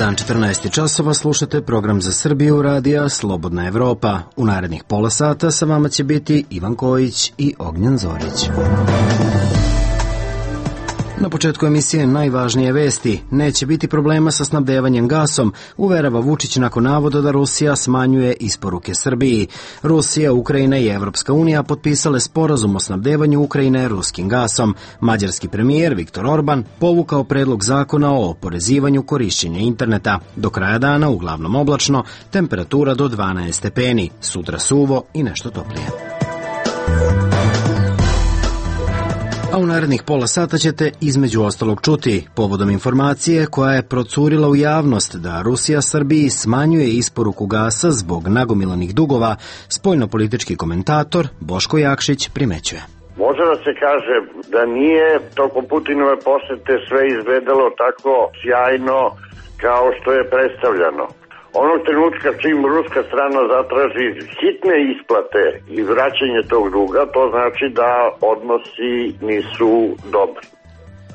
dan 14 časova, slušate program za Srbiju radija Slobodna Evropa. U narednih pola sata sa vama će biti Ivan Kojić i Ognjen Zorić. Na početku emisije najvažnije vesti. Neće biti problema sa snabdevanjem gasom, uverava Vučić nakon navoda da Rusija smanjuje isporuke Srbiji. Rusija, Ukrajina i Evropska unija potpisale sporazum o snabdevanju Ukrajine ruskim gasom. Mađarski premijer Viktor Orban povukao predlog zakona o oporezivanju korišćenja interneta. Do kraja dana uglavnom oblačno, temperatura do 12 stepeni, sutra suvo i nešto toplije. A u narednih pola sata ćete između ostalog čuti povodom informacije koja je procurila u javnost da Rusija Srbiji smanjuje isporuku gasa zbog nagomilanih dugova, spoljnopolitički komentator Boško Jakšić primećuje. Može da se kaže da nije tokom Putinove posete sve izgledalo tako sjajno kao što je predstavljano. Onog trenutka čim ruska strana zatraži hitne isplate i vraćanje tog duga, to znači da odnosi nisu dobri.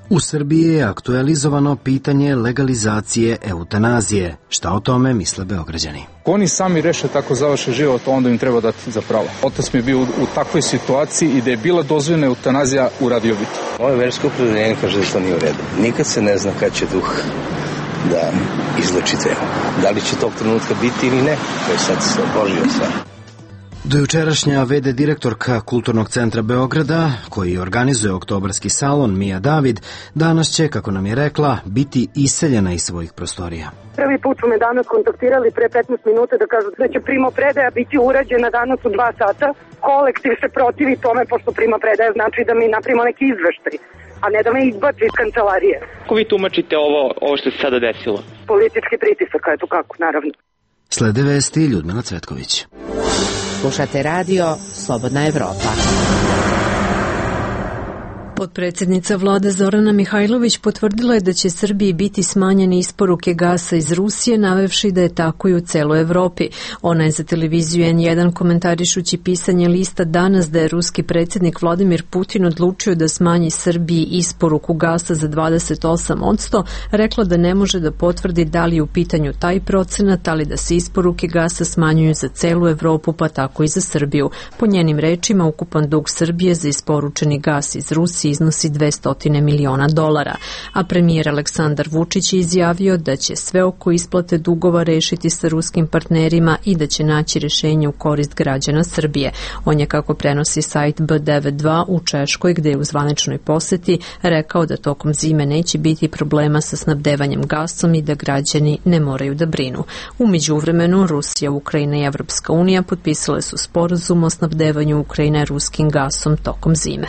U Srbiji je aktualizovano pitanje legalizacije eutanazije. Šta o tome misle Beograđani? Oni sami reše tako završe život, onda im treba dati za pravo. Otac mi je bio u takvoj situaciji i da je bila dozvoljena eutanazija, uradio bi to. Moje versko opredeljenje kaže da to nije u redu. Nikad se ne zna kad će duh da izleči temu. Da li će tog trenutka biti ili ne, to je sad Božja stvar. Dojučerašnja v.d. direktorka Kulturnog centra Beograda, koji organizuje oktobarski salon, Mija David, danas će, kako nam je rekla, biti iseljena iz svojih prostorija. Prvi put su me danas kontaktirali pre 15 minuta da kažu da će primopredaja biti urađena danas u 2 sata. Kolektiv se protivi tome, pošto primopredaja znači da mi napravimo neki izveštaj, a ne da me izbaci iz kancelarije. Kako vi tumačite ovo što se sada desilo? Politički pritisak, eto kako, naravno. Slede vesti Ljudmila Cvetković. Slušate radio Slobodna Evropa. Potpredsjednica vlade Zorana Mihajlović potvrdila je da će Srbiji biti smanjene isporuke gasa iz Rusije, navevši da je tako i u celoj Evropi. Ona je za televiziju N1 komentarišući pisanje lista Danas da je ruski predsjednik Vladimir Putin odlučio da smanji Srbiji isporuku gasa za 28%, rekla da ne može da potvrdi da li je u pitanju taj procenat, ali da se isporuke gasa smanjuju za celu Evropu, pa tako i za Srbiju. Po njenim rečima, ukupan dug Srbije za isporučeni gas iz Rusije iznosi $200 miliona, a premijer Aleksandar Vučić je izjavio da će sve oko isplate dugova rešiti sa ruskim partnerima i da će naći rešenje u korist građana Srbije. On je, kako prenosi sajt B92 u Češkoj, gde je u zvaničnoj poseti, rekao da tokom zime neće biti problema sa snabdevanjem gasom i da građani ne moraju da brinu. U međuvremenu, Rusija, Ukrajina i Evropska unija potpisale su sporazum o snabdevanju Ukrajine ruskim gasom tokom zime.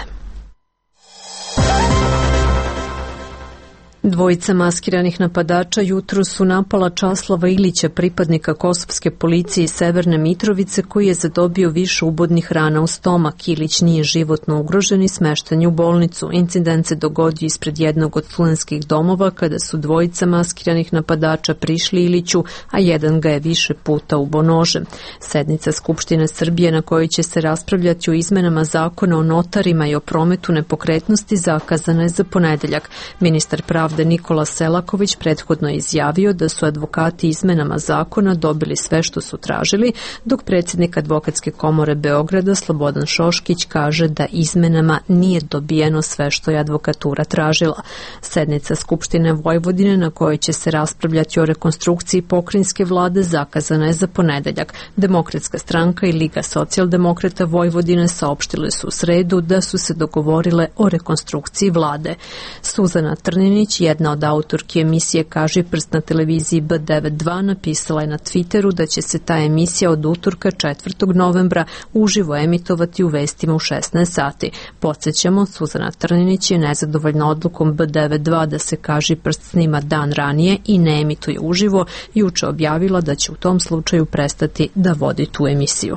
Dvojica maskiranih napadača jutro su napala Časlava Ilića, pripadnika kosovske policije iz Severne Mitrovice, koji je zadobio više ubodnih rana u stomak. Ilić nije životno ugrožen i smešten je u bolnicu. Incident se dogodio ispred jednog od studentskih domova kada su dvojica maskiranih napadača prišli Iliću, a jedan ga je više puta ubo nožem. Sednica Skupštine Srbije na kojoj će se raspravljati o izmenama zakona o notarima i o prometu nepokretnosti zakazana je za ponedeljak. Ministar pravde Nikola Selaković prethodno je izjavio da su advokati izmenama zakona dobili sve što su tražili, dok predsjednik Advokatske komore Beograda Slobodan Šoškić kaže da izmenama nije dobijeno sve što je advokatura tražila. Sednica Skupštine Vojvodine na kojoj će se raspravljati o rekonstrukciji pokrajinske vlade zakazana je za ponedeljak. Demokratska stranka i Liga socijaldemokrata Vojvodine saopštile su u sredu da su se dogovorile o rekonstrukciji vlade. Suzana Trninić, jedna od autorki emisije Kaži prst na televiziji B92, napisala je na Twitteru da će se ta emisija od utorka 4. novembra uživo emitovati u vestima u 16 sati. Podsjećamo, Suzana Trninić je nezadovoljna odlukom B92 da se Kaži prst snima dan ranije i ne emituje uživo, juče objavila da će u tom slučaju prestati da vodi tu emisiju.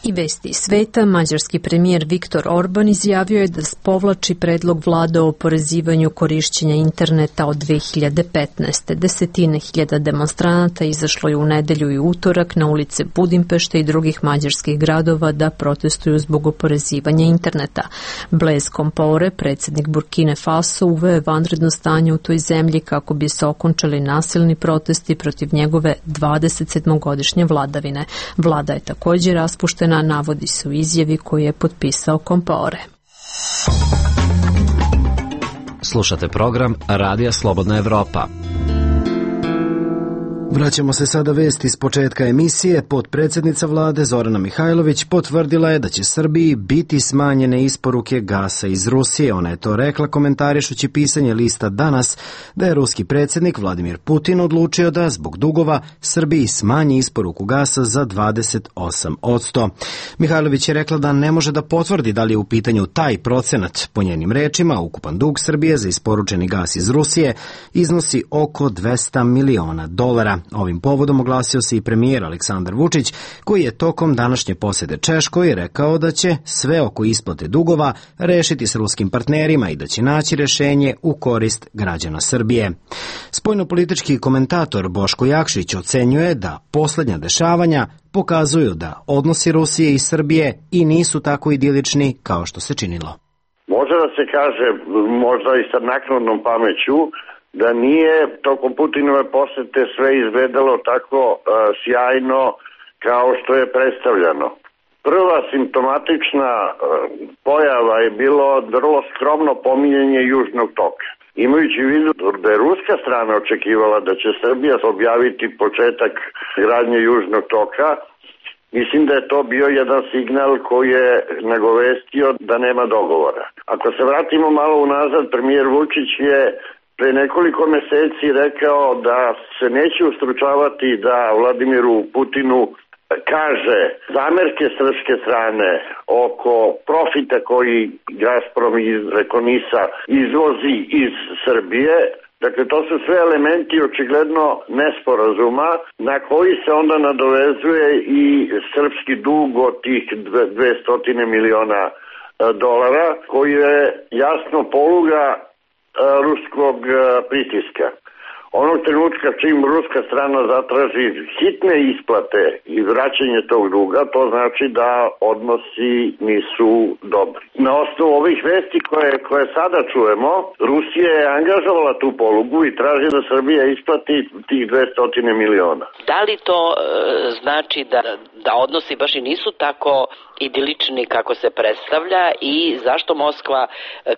I vesti sveta, mađarski premijer Viktor Orban izjavio je da povlači predlog vlade o oporezivanju korišćenja interneta od 2015. Desetine hiljada demonstranata izašlo je u nedelju i utorak na ulice Budimpešte i drugih mađarskih gradova da protestuju zbog oporezivanja interneta. Blaise Compaoré, predsjednik Burkine Faso, uveo je vanredno stanje u toj zemlji kako bi se okončali nasilni protesti protiv njegove 27-godišnje vladavine. Vlada je također raspuštena, navodi se u izjavi koju je potpisao Compaoré. Slušate program Radija Slobodna Evropa. Vraćamo se sada vesti iz početka emisije. Potpredsjednica vlade Zorana Mihajlović potvrdila je da će Srbiji biti smanjene isporuke gasa iz Rusije. Ona je to rekla komentarišući pisanje lista Danas da je ruski predsjednik Vladimir Putin odlučio da zbog dugova Srbiji smanji isporuku gasa za 28%. Mihajlović je rekla da ne može da potvrdi da li je u pitanju taj procenat. Po njenim rečima, ukupan dug Srbije za isporučeni gas iz Rusije iznosi oko $200 miliona. Ovim povodom oglasio se i premijer Aleksandar Vučić, koji je tokom današnje posjete Češkoj rekao da će sve oko isplate dugova rešiti s ruskim partnerima i da će naći rešenje u korist građana Srbije. Spoljnopolitički komentator Boško Jakšić ocenjuje da posljednja dešavanja pokazuju da odnosi Rusije i Srbije i nisu tako idilični kao što se činilo. Može da se kaže, možda i sa naknadnom pameću, da nije tokom Putinove posete sve izgledalo tako sjajno kao što je predstavljano. Prva simptomatična pojava je bilo vrlo skromno pominjanje Južnog toka. Imajući u vidu da je ruska strana očekivala da će Srbija objaviti početak gradnje Južnog toka, mislim da je to bio jedan signal koji je nagovestio da nema dogovora. Ako se vratimo malo unazad, premijer Vučić je pre nekoliko meseci rekao da se neće ustručavati da Vladimiru Putinu kaže zamerke srpske strane oko profita koji Gazprom preko NIS-a izvozi iz Srbije. Dakle, to su sve elementi očigledno nesporazuma na koji se onda nadovezuje i srpski dug od tih $200 miliona koji je jasno poluga ruskog pritiska. Onog trenutka čim ruska strana zatraži hitne isplate i vraćanje tog duga, to znači da odnosi nisu dobri. Na osnovu ovih vesti koje sada čujemo, Rusija je angažovala tu polugu i traži da Srbija isplati tih $200 miliona. Da li to znači da odnosi baš i nisu tako idilični kako se predstavlja i zašto Moskva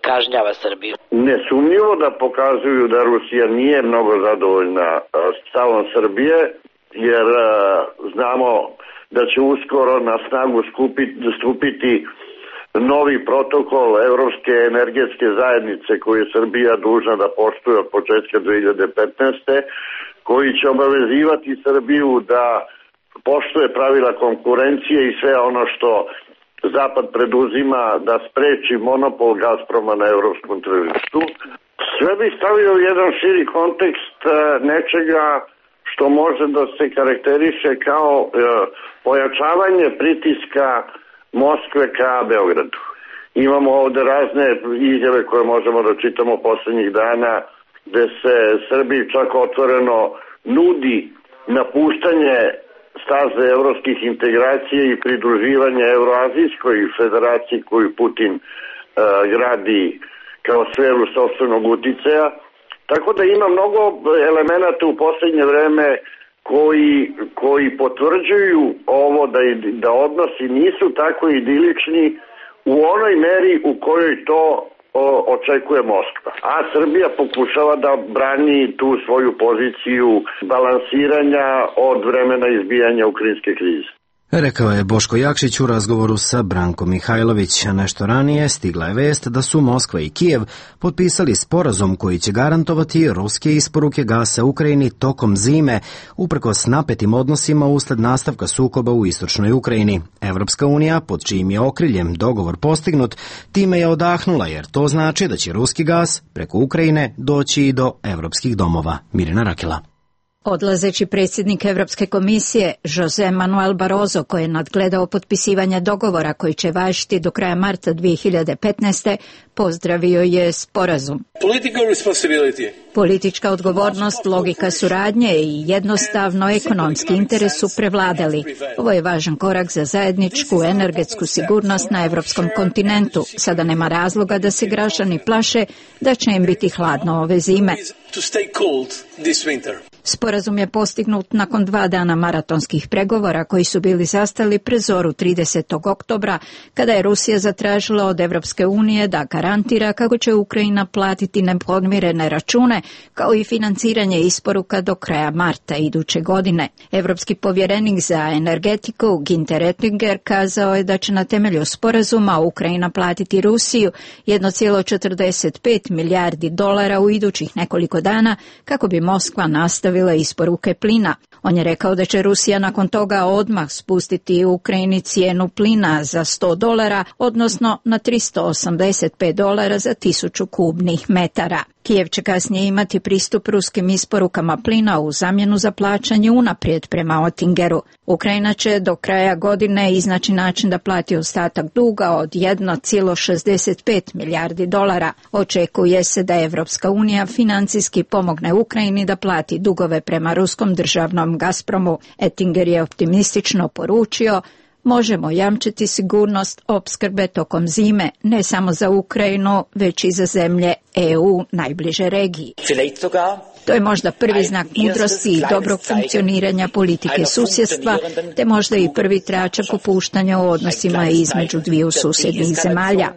kažnjava Srbiju? Nesumnjivo da pokazuju da Rusija nije mnogo zadovoljna stavom Srbije, jer znamo da će uskoro na snagu stupiti novi protokol Evropske energetske zajednice koju je Srbija dužna da poštuje od početka 2015. koji će obavezivati Srbiju da poštuje pravila konkurencije i sve ono što Zapad preduzima da spreči monopol Gazproma na evropskom tržištu. Sve bi stavio u jedan širi kontekst nečega što može da se karakteriše kao pojačavanje pritiska Moskve ka Beogradu. Imamo ovde razne izjave koje možemo da čitamo poslednjih dana, gde se Srbiji čak otvoreno nudi napuštanje staze evropskih integracija i pridruživanje Euroazijskoj federaciji koju Putin gradi kao sferu sopstvenog uticaja. Tako da ima mnogo elemenata u poslednje vreme koji potvrđuju ovo da odnosi nisu tako idilični u onoj meri u kojoj to očekuje Moskva. A Srbija pokušava da brani tu svoju poziciju balansiranja od vremena izbijanja ukrajinske krize. Rekao je Boško Jakšić u razgovoru sa Brankom Mihajlović. Nešto ranije stigla je vest da su Moskva i Kijev potpisali sporazum koji će garantovati ruske isporuke gasa Ukrajini tokom zime, uprkos napetim odnosima usled nastavka sukoba u istočnoj Ukrajini. Evropska unija, pod čijim je okriljem dogovor postignut, time je odahnula jer to znači da će ruski gas preko Ukrajine doći i do evropskih domova. Mirjana Rakela. Odlazeći predsjednik Evropske komisije José Manuel Barroso, koji je nadgledao potpisivanje dogovora koji će važiti do kraja marta 2015. pozdravio je sporazum. Politička odgovornost, logika suradnje i jednostavno ekonomski interes su prevladali. Ovo je važan korak za zajedničku energetsku sigurnost na evropskom kontinentu. Sada nema razloga da se građani plaše da će im biti hladno ove zime. Sporazum je postignut nakon 2 dana maratonskih pregovora koji su bili zastali pre zoru 30. oktobra, kada je Rusija zatražila od Evropske unije da garantira kako će Ukrajina platiti nepodmirene račune, kao i financiranje isporuka do kraja marta iduće godine. Evropski povjerenik za energetiku Günther Oettinger kazao je da će na temelju sporazuma Ukrajina platiti Rusiju 1,45 milijardi dolara u idućih nekoliko dana kako bi Moskva nastavila isporuke plina. On je rekao da će Rusija nakon toga odmah spustiti u Ukrajini cijenu plina za $100, odnosno na $385 za 1000 kubnih metara. Kijev će kasnije imati pristup ruskim isporukama plina u zamjenu za plaćanje unaprijed prema Oettingeru. Ukrajina će do kraja godine iznaći način da plati ostatak duga od 1,65 milijardi dolara. Očekuje se da Evropska unija financijski pomogne Ukrajini da plati dugove prema ruskom državnom Gazpromu. Oettinger je optimistično poručio: možemo jamčiti sigurnost opskrbe tokom zime, ne samo za Ukrajinu, već i za zemlje EU najbliže regiji. To je možda prvi znak mudrosti i dobrog funkcioniranja politike susjedstva, te možda i prvi tračak opuštanja u odnosima između dviju susjednih zemalja.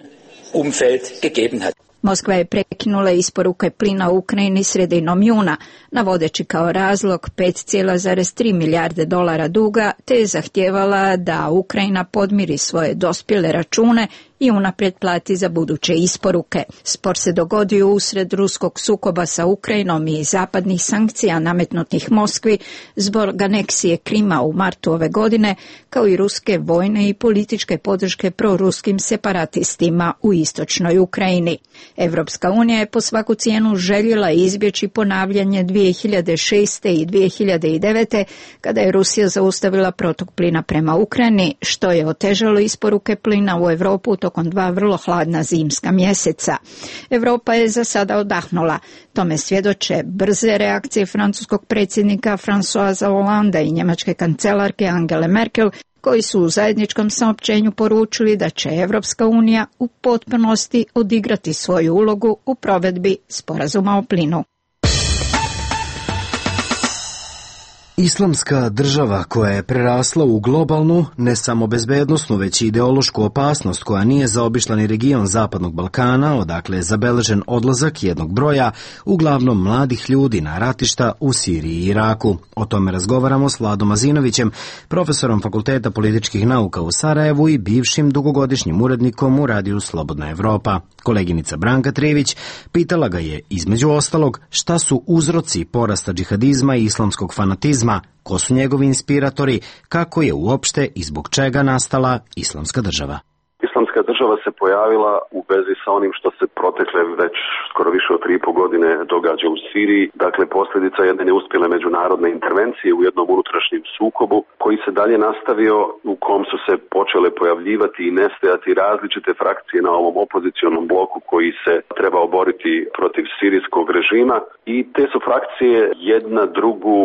Moskva je prekinula isporuke plina u Ukrajini sredinom juna, navodeći kao razlog 5,3 milijarde dolara duga, te je zahtijevala da Ukrajina podmiri svoje dospjele račune i unaprijed plati za buduće isporuke. Spor se dogodio usred ruskog sukoba sa Ukrajinom i zapadnih sankcija nametnutih Moskvi zbog aneksije Krima u martu ove godine, kao i ruske vojne i političke podrške proruskim separatistima u istočnoj Ukrajini. Evropska unija je po svaku cijenu željela izbjeći ponavljanje 2006. i 2009. kada je Rusija zaustavila protok plina prema Ukrajini, što je otežalo isporuke plina u Europu tokom 2 vrlo hladna zimska mjeseca. Europa je za sada odahnula. Tome svjedoče brze reakcije francuskog predsjednika Françoisa Hollanda i njemačke kancelarke Angele Merkel, koji su u zajedničkom saopćenju poručili da će Evropska unija u potpunosti odigrati svoju ulogu u provedbi sporazuma o plinu. Islamska država koja je prerasla u globalnu, ne samo bezbednosnu, već i ideološku opasnost koja nije zaobišla ni region Zapadnog Balkana, odakle je zabeležen odlazak jednog broja, uglavnom mladih ljudi na ratišta u Siriji i Iraku. O tome razgovaramo s Vladom Azinovićem, profesorom Fakulteta političkih nauka u Sarajevu i bivšim dugogodišnjim urednikom u radiju Slobodna Evropa. Koleginica Branka Trivić pitala ga je, između ostalog, šta su uzroci porasta džihadizma i islamskog fanatizma, ko su njegovi inspiratori, kako je uopšte i zbog čega nastala islamska država. Islamska država se pojavila u vezi sa onim što se protekle već skoro više od 3,5 godine događa u Siriji. Dakle, posljedica jedne neuspjele međunarodne intervencije u jednom unutrašnjem sukobu koji se dalje nastavio, u kom su se počele pojavljivati i nestajati različite frakcije na ovom opozicionom bloku koji se trebao boriti protiv sirijskog režima, i te su frakcije jedna drugu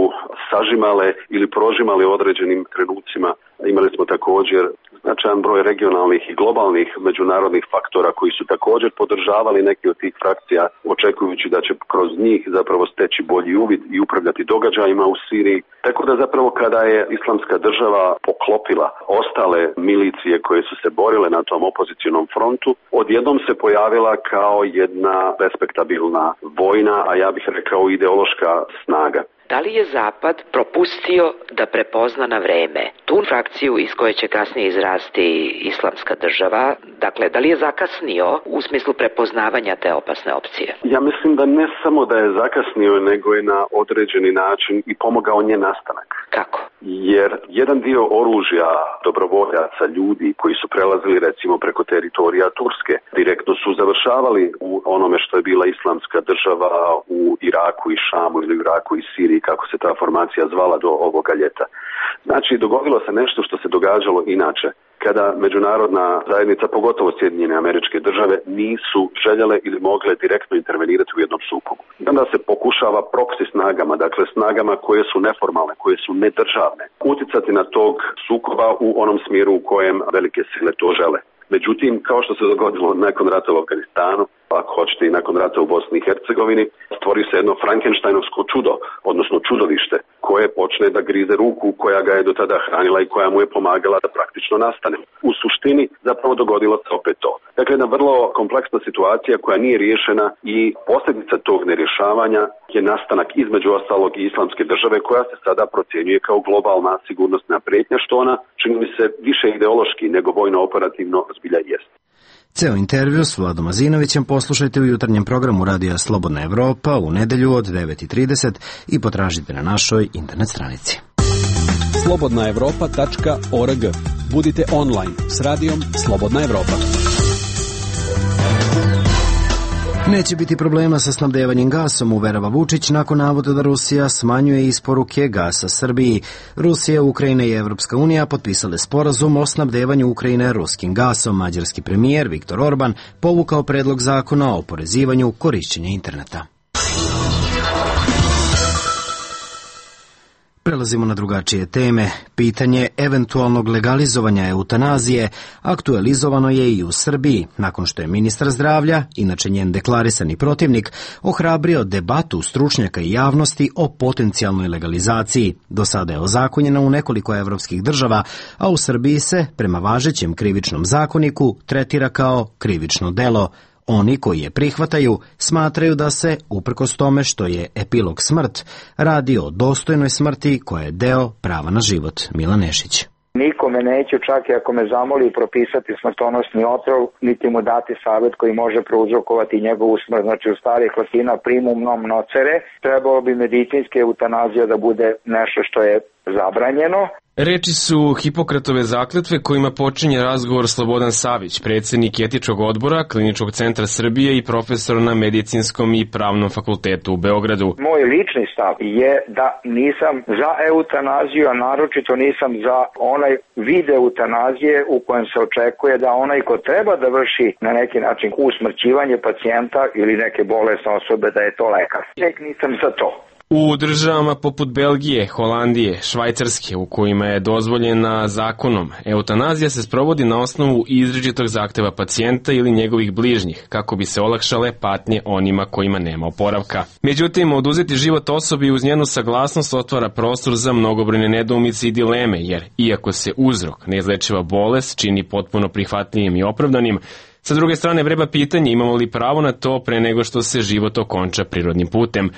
sažimale ili prožimale u određenim trenucima. Imali smo također značajan broj regionalnih i globalnih međunarodnih faktora koji su također podržavali neke od tih frakcija, očekujući da će kroz njih zapravo steći bolji uvid i upravljati događajima u Siriji. Tako da zapravo kada je islamska država poklopila ostale milicije koje su se borile na tom opozicionom frontu, odjednom se pojavila kao jedna respektabilna vojna, a ja bih rekao ideološka snaga. Da li je Zapad propustio da prepozna na vreme tu frakciju iz koje će kasnije izrasti islamska država? Dakle, da li je zakasnio u smislu prepoznavanja te opasne opcije? Ja mislim da ne samo da je zakasnio, nego je na određeni način i pomogao njen nastanak. Kako? jer jedan dio oružja dobrovoljaca, ljudi koji su prelazili recimo preko teritorija Turske, direktno su završavali u onome što je bila islamska država u Iraku i Šamu ili u Iraku i Siriji, kako se ta formacija zvala do ovoga ljeta. Znači, dogodilo se nešto što se događalo inače, kada međunarodna zajednica, pogotovo Sjedinjene Američke Države, nisu željele ili mogle direktno intervenirati u jednom sukobu. I onda se pokušava proksi snagama, dakle snagama koje su neformalne, koje su nedržavne, uticati na tog sukoba u onom smjeru u kojem velike sile to žele. Međutim, kao što se dogodilo nakon rata u Afganistanu, ako hoćete i nakon rata u Bosni i Hercegovini, stvori se jedno Frankensteinovsko čudo, odnosno čudovište, koje počne da grize ruku koja ga je do tada hranila i koja mu je pomagala da praktično nastane. U suštini zapravo dogodilo se opet to. Dakle, jedna vrlo kompleksna situacija koja nije riješena i posljedica tog nerješavanja je nastanak između ostalog i islamske države koja se sada procjenjuje kao globalna sigurnosna prijetnja, što ona čini mi se više ideološki nego vojno-operativno zbilja jest. Ceo intervju s Vladom Azinovićem poslušajte u jutarnjem programu Radija Slobodna Evropa u nedelju od 9:30 i potražite na našoj internet stranici. slobodnaevropa.org. Budite online s radijom Slobodna Evropa. Neće biti problema sa snabdevanjem gasom, uverava Vučić nakon navoda da Rusija smanjuje isporuke gasa Srbiji. Rusija, Ukrajina i Evropska unija potpisale sporazum o snabdevanju Ukrajine ruskim gasom. Mađarski premijer Viktor Orban povukao predlog zakona o oporezivanju korišćenja interneta. Prelazimo na drugačije teme. Pitanje eventualnog legalizovanja eutanazije aktualizovano je i u Srbiji, nakon što je ministar zdravlja, inače njen deklarisani protivnik, ohrabrio debatu stručnjaka i javnosti o potencijalnoj legalizaciji. Do sada je ozakonjena u nekoliko evropskih država, a u Srbiji se, prema važećem krivičnom zakoniku, tretira kao krivično delo. Oni koji je prihvataju smatraju da se, uprkos tome što je epilog smrt, radi o dostojnoj smrti koja je deo prava na život. Milan Nešić. Nikome neću, čak i ako me zamoli, propisati smrtonosni otrov, niti mu dati savjet koji može prouzrokovati njegovu smrt. Znači, u starih latina primum non nocere, trebalo bi medicinske eutanazija da bude nešto što je zabranjeno. Reči su Hipokratove zakletve kojima počinje razgovor Slobodan Savić, predsjednik etičkog odbora Kliničkog centra Srbije i profesor na Medicinskom i Pravnom fakultetu u Beogradu. Moj lični stav je da nisam za eutanaziju, a naročito nisam za onaj vid eutanazije u kojem se očekuje da onaj ko treba da vrši na neki način usmrćivanje pacijenta ili neke bolesne osobe da je to lekar. Nek nisam za to. U državama poput Belgije, Holandije, Švajcarske, u kojima je dozvoljena zakonom, eutanazija se sprovodi na osnovu izričitog zahteva pacijenta ili njegovih bližnjih, kako bi se olakšale patnje onima kojima nema oporavka. Međutim, oduzeti život osobi uz njenu saglasnost otvara prostor za mnogobrojne nedoumice i dileme, jer iako se uzrok, neizlečiva bolest, čini potpuno prihvatljivim i opravdanim, sa druge strane vreba pitanje imamo li pravo na to pre nego što se život okonča prirodnim putem.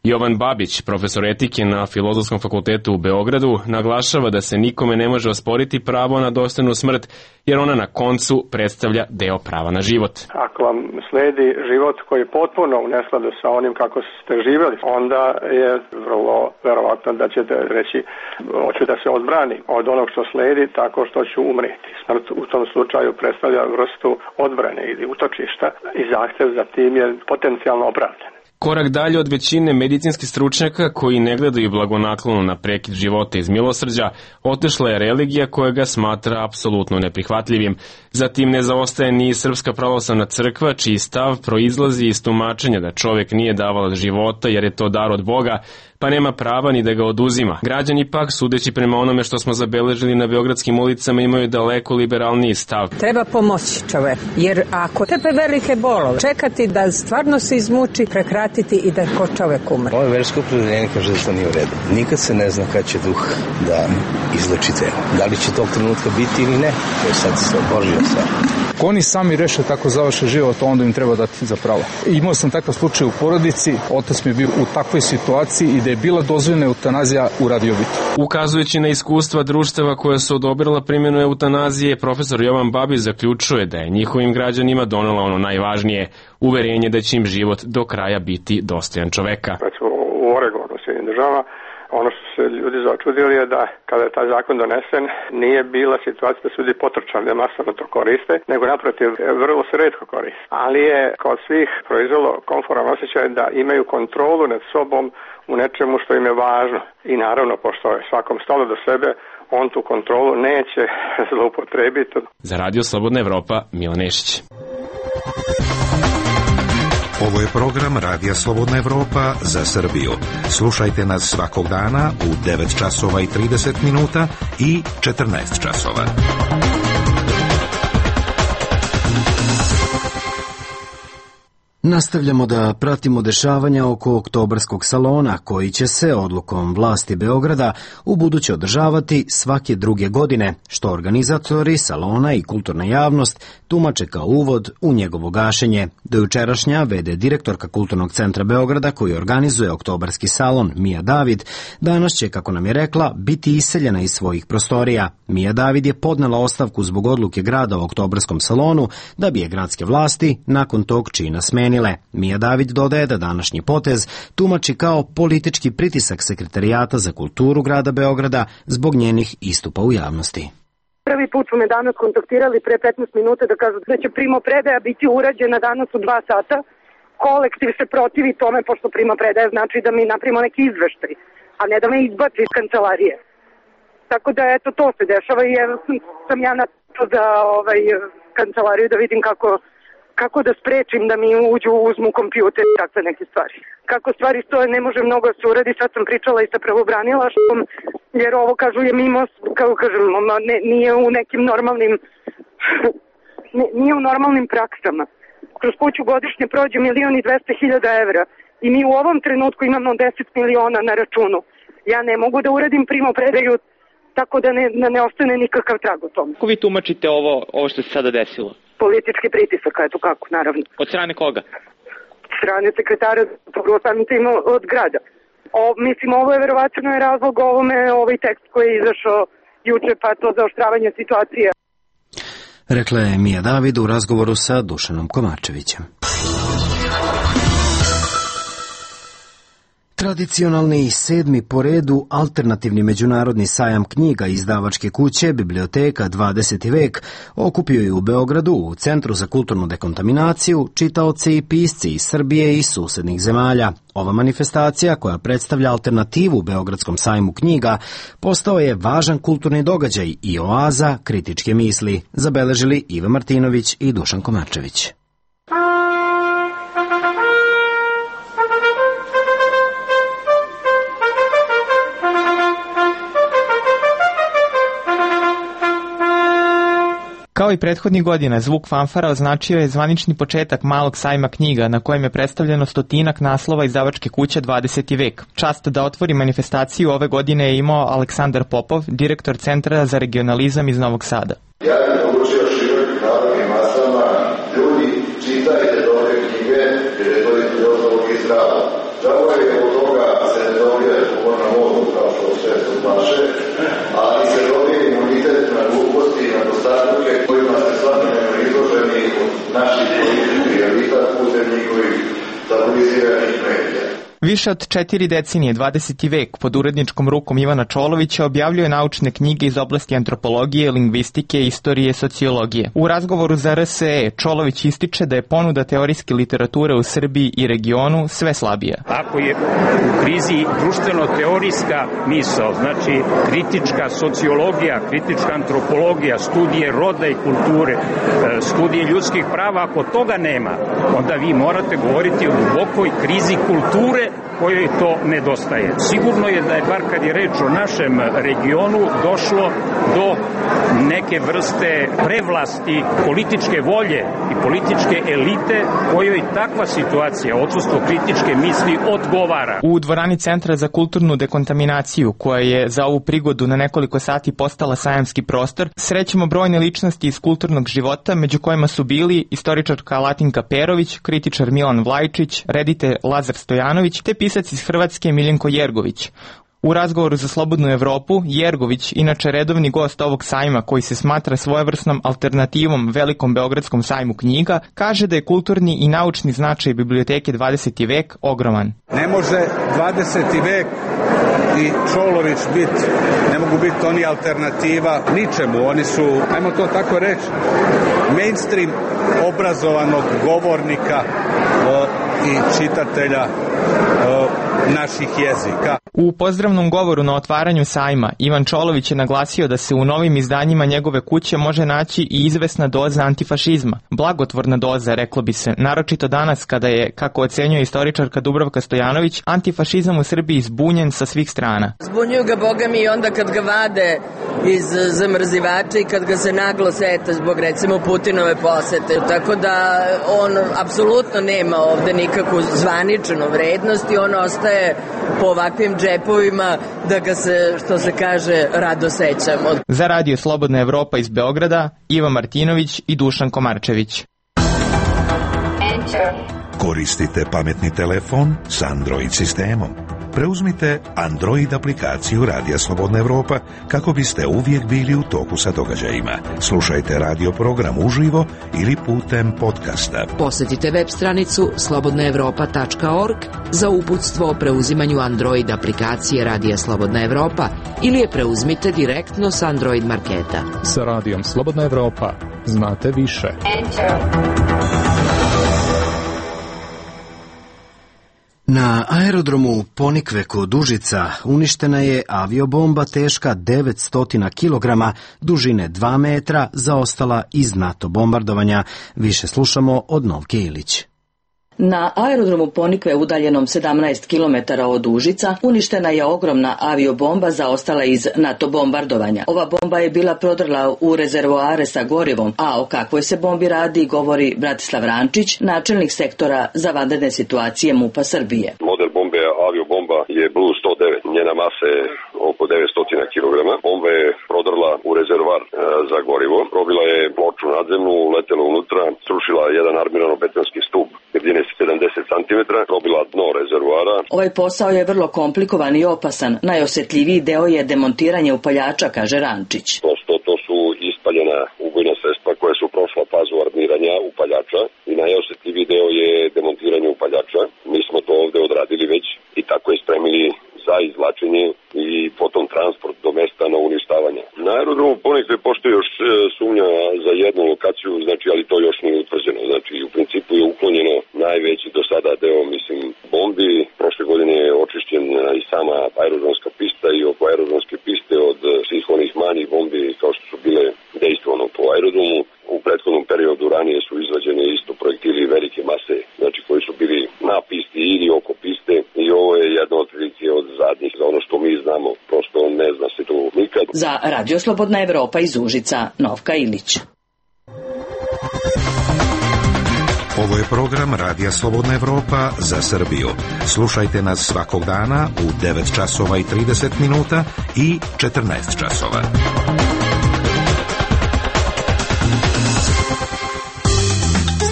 Jovan Babić, profesor etike na Filozofskom fakultetu u Beogradu, naglašava da se nikome ne može osporiti pravo na dostojnu smrt, jer ona na koncu predstavlja deo prava na život. Ako vam sledi život koji je potpuno u neskladu sa onim kako ste živjeli, onda je vrlo verovatno da ćete reći hoću da se odbrani od onog što sledi tako što ću umreti. Smrt u tom slučaju predstavlja vrstu odbrane ili utočišta i zahtev za tim je potencijalno opravdan. Korak dalje od većine medicinskih stručnjaka koji ne gledaju blagonaklono na prekid života iz milosrđa, otešla je religija koja ga smatra apsolutno neprihvatljivim. Zatim ne zaostaje ni Srpska pravoslavna crkva, čiji stav proizlazi iz tumačenja da čovjek nije davalac života jer je to dar od Boga, pa nema prava ni da ga oduzima. Građani pak, sudeći prema onome što smo zabeležili na beogradskim ulicama, imaju daleko liberalniji stav. Treba pomoći čovek, jer ako tepe velike bolove, čekati da stvarno se izmuči, prekratiti i da ko čovek umre. Moje versko opredeljenje kaže da to nije u redu. Nikad se ne zna kad će duh da izleči telo. Da li će tog trenutka biti ili ne, to je sad Božja stvar. Ako oni sami reše tako završe život, onda im treba dati za pravo. Imao sam takav slučaj u porodici, otac mi je bio u takvoj situaciji i da je bila dozvoljena eutanazija, uradio bi to. Ukazujući na iskustva društava koja su odobrila primjenu eutanazije, profesor Jovan Babić zaključuje da je njihovim građanima donela ono najvažnije, uverenje da će im život do kraja biti dostojan čoveka. U Oregonu, Sjedinjenim državama, Ono što se ljudi začudili je da kada je taj zakon donesen nije bila situacija da su ljudi potrčali da masovno to koriste, nego naprotiv vrlo se retko koriste. Ali je kod svih proizvelo komforan osjećaj da imaju kontrolu nad sobom u nečemu što im je važno. I naravno, pošto je svakom stalo do sebe, on tu kontrolu neće zloupotrebiti. Za Radio Slobodna Evropa, Milan Nešić. Ovo je program Radija Slobodna Evropa za Srbiju. Slušajte nas svakog dana u 9 časova i 30 minuta i 14 časova. Nastavljamo da pratimo dešavanja oko oktobarskog salona, koji će se odlukom vlasti Beograda ubuduće održavati svake druge godine, što organizatori salona i kulturna javnost tumače kao uvod u njegovo gašenje. Do jučerašnja v.d. direktorka Kulturnog centra Beograda, koji organizuje oktobarski salon, Mija David, danas će, kako nam je rekla, biti iseljena iz svojih prostorija. Mija David je podnela ostavku zbog odluke grada o oktobarskom salonu, da bi je gradske vlasti nakon tog čina smenile. Mija David dodaje da današnji potez tumači kao politički pritisak Sekretarijata za kulturu grada Beograda zbog njenih istupa u javnosti. Prvi put su me danas kontaktirali pre 15 minuta da kažu da će primopredaja biti urađena danas u 2 sata. Kolektiv se protivi tome, pošto primopredaja znači da mi napravimo neki izveštaj, a ne da me izbaci iz kancelarije. Tako da eto, to se dešava i evo sam ja na to za kancelariju da vidim kako da sprečim da mi uzmu kompjuter i takve neke stvari. Kako stvari stoje, ne može mnogo da se uradi. Sad sam pričala i sa pravobranilaštvom, jer ovo, kažu, je mimo, kako kažem, nije u nekim normalnim nije u normalnim praksama. Kroz kuću godišnje prođe 1.200.000 evra i mi u ovom trenutku imamo 10 miliona na računu. Ja ne mogu da uradim primopredaju tako da ne ostane nikakav trag o tom. Kako vi tumačite ovo što se sada desilo? Politički pritisak, eto kako, naravno. Od strane koga? Od strane sekretara, prvo samim tim od grada. Mislim, ovo je verovatno razlog ovome, ovaj tekst koji je izašao juče, pa to zaoštravanje situacije. Rekla je Mija David u razgovoru sa Dušanom Komačevićem. Tradicionalni 7. po redu alternativni međunarodni sajam knjiga izdavačke kuće Biblioteka 20. vek okupio je u Beogradu u Centru za kulturnu dekontaminaciju čitaoci i pisci iz Srbije i susednih zemalja. Ova manifestacija, koja predstavlja alternativu Beogradskom sajmu knjiga, postao je važan kulturni događaj i oaza kritičke misli, zabeležili Iva Martinović i Dušan Komačević. Kao i prethodnih godina, zvuk fanfara označio je zvanični početak malog sajma knjiga na kojem je predstavljeno 100 naslova izdavačke kuće 20. vek. Čast da otvori manifestaciju ove godine je imao Aleksandar Popov, direktor Centra za regionalizam iz Novog Sada. Ja bih poručio širokim narodnim masama, ljudi, čitajte dobre knjige, jer je to između ostalog i zdravo. Žao je od toga se ne dobije humorna modu, kao što sve su naše, ali se dobije imunitet na gluposti i na dostatke kojima se svakodnevno izloženi od naših političkih elita putem njihovih stabiliziranih medija. Više od 4 decenije 20. vek pod uredničkom rukom Ivana Čolovića objavljuje naučne knjige iz oblasti antropologije, lingvistike, istorije, sociologije. U razgovoru za RSE Čolović ističe da je ponuda teorijske literature u Srbiji i regionu sve slabija. Ako je u krizi društveno-teorijska misao, znači kritička sociologija, kritička antropologija, studije roda i kulture, studije ljudskih prava, ako toga nema, onda vi morate govoriti o dubokoj krizi kulture kojoj to nedostaje. Sigurno je da je, bar kad je reč o našem regionu, došlo do neke vrste prevlasti političke volje i političke elite kojoj takva situacija, odsustvo kritičke misli, odgovara. U dvorani Centra za kulturnu dekontaminaciju, koja je za ovu prigodu na nekoliko sati postala sajamski prostor, srećemo brojne ličnosti iz kulturnog života, među kojima su bili istoričarka Latinka Perović, kritičar Milan Vlajčić, reditelj Lazar Stojanović, te pisac iz Hrvatske Miljenko Jergović. U razgovoru za Slobodnu Evropu, Jergović, inače redovni gost ovog sajma koji se smatra svojevrsnom alternativom Velikom Beogradskom sajmu knjiga, kaže da je kulturni i naučni značaj biblioteke 20. vek ogroman. Ne može 20. vek i Čolović ne mogu biti oni alternativa ničemu. Oni su, ajmo to tako reći, mainstream obrazovanog govornika i čitatelja naših jezika. U pozdravnom govoru na otvaranju sajma Ivan Čolović je naglasio da se u novim izdanjima njegove kuće može naći i izvesna doza antifašizma. Blagotvorna doza, reklo bi se, naročito danas kada je, kako ocenjuje istoričarka Dubravka Stojanović, antifašizam u Srbiji zbunjen sa svih strana. Zbunjuju ga, boga mi, onda kad ga vade iz zamrzivača i kad ga se naglo seta zbog, recimo, Putinove posete. Tako da on apsolutno nema ovde nikakvu zvaničnu vrednost i on ostaje po ovakvim džepovima da ga se, što se kaže, rado sećamo. Za Radio Slobodna Evropa iz Beograda, Iva Martinović i Dušan Komarčević. Koristite pametni telefon s Android sistemom. Preuzmite Android aplikaciju Radija Slobodna Evropa kako biste uvijek bili u toku sa događajima. Slušajte radio program uživo ili putem podcasta. Posjetite web stranicu slobodnaevropa.org za uputstvo o preuzimanju Android aplikacije Radija Slobodna Evropa ili je preuzmite direktno s Android marketa. Sa Radijom Slobodna Evropa znate više. Na aerodromu Ponikve kod Užica uništena je aviobomba teška 900 kg, dužine 2 metra, zaostala iz NATO bombardovanja. Više slušamo od Novke Ilić. Na aerodromu Ponikve udaljenom 17 km od Užica uništena je ogromna aviobomba zaostala iz NATO bombardovanja. Ova bomba je bila prodrla u rezervoare sa gorivom, a o kakvoj se bombi radi govori Bratislav Rančić, načelnik sektora za vanredne situacije MUP-a Srbije. Model bombe aviobomba je Blue 109, njena masa je oko 900 kg. Bomba je prodrla u rezervoar za gorivo, probila je ploču nadzemnu, uletela unutra, srušila jedan armirano-betonski stup jedine 70 cm, probila dno rezervoara. Ovaj posao je vrlo komplikovan i opasan. Najosjetljiviji deo je demontiranje upaljača, kaže Rančić. To su ispaljena ubojna sredstva koja su prošla fazu armiranja upaljača i najosjetljiviji deo je demontiranje upaljača. Mi smo to ovde odradili već i tako je spremili za izvlačenje i potom transport do mesta na uništavanje. Na aerodromu Ponikve postoji još sumnja za jednu lokaciju, znači, ali to još nije utvrđeno. Znači, u principu je uklonjeno najveći do sada deo, bombi. Prošle godine je očišćen i sama aerodromska pista i oko aerodromske piste od svih onih manjih bombi kao što su bile dejstvovano po aerodromu. U prethodnom periodu ranije su izrađene isto projektili velike mase, znači koji su bili na pisti ili oko piste i ovo je jedna od prilike od zadnjih, za ono što mi znamo, prosto ne zna se to nikad. Za Radio Slobodna Evropa iz Užica, Novka Ilić. Ovo je program Radija Slobodna Evropa za Srbiju. Slušajte nas svakog dana u 9 časova i 30 minuta i 14 časova.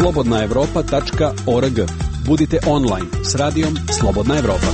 slobodnaevropa.org. Budite online s radijom Slobodna Evropa.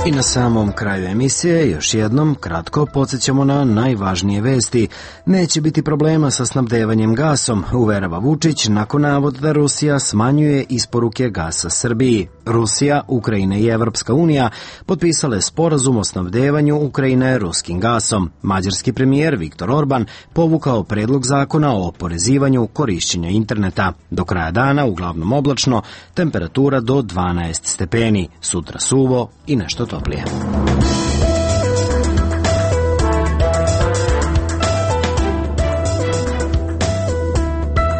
I na samom kraju emisije još jednom kratko podsjećamo na najvažnije vesti. Neće biti problema sa snabdevanjem gasom, uverava Vučić nakon navoda da Rusija smanjuje isporuke gasa Srbiji. Rusija, Ukrajina i Evropska unija potpisale sporazum o snabdevanju Ukrajine ruskim gasom. Mađarski premijer Viktor Orban povukao predlog zakona o oporezivanju korišćenja interneta. Do kraja dana uglavnom oblačno, temperatura do 12 stepeni, sutra suvo i nešto toplije.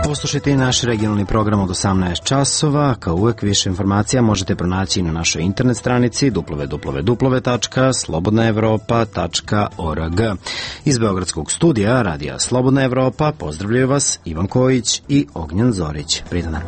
Poslušajte i naš regionalni program od 18 časova. Kao uvek, više informacija možete pronaći na našoj internet stranici www.slobodnaevropa.org. Iz Beogradskog studija Radija Slobodna Evropa pozdravljaju vas Ivan Kojić i Ognjen Zorić. Prijetan dan.